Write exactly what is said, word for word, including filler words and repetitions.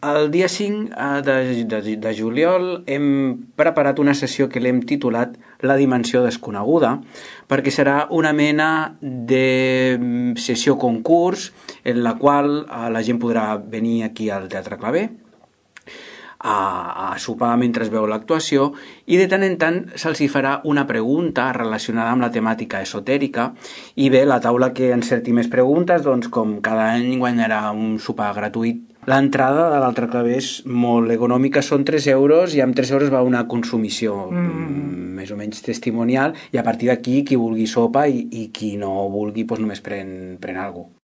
El dia cinc de, de, de juliol hem preparat una sessió que l'hem titulat La dimensió desconeguda, perquè serà una mena de sessió concurs en la qual la gent podrà venir aquí al Teatre Claver a, a sopar mentre es veu l'actuació, i de tant en tant se'ls hi farà una pregunta relacionada amb la temàtica esotèrica, i bé, la taula que encerti més preguntes, doncs com cada any guanyarà un sopar gratuït. L'entrada de l'Altre Claver és molt econòmica, són tres euros, i amb tres euros va una consumició mm. més o menys testimonial, i a partir d'aquí qui vulgui sopa i, i qui no vulgui doncs només pren, pren alguna cosa.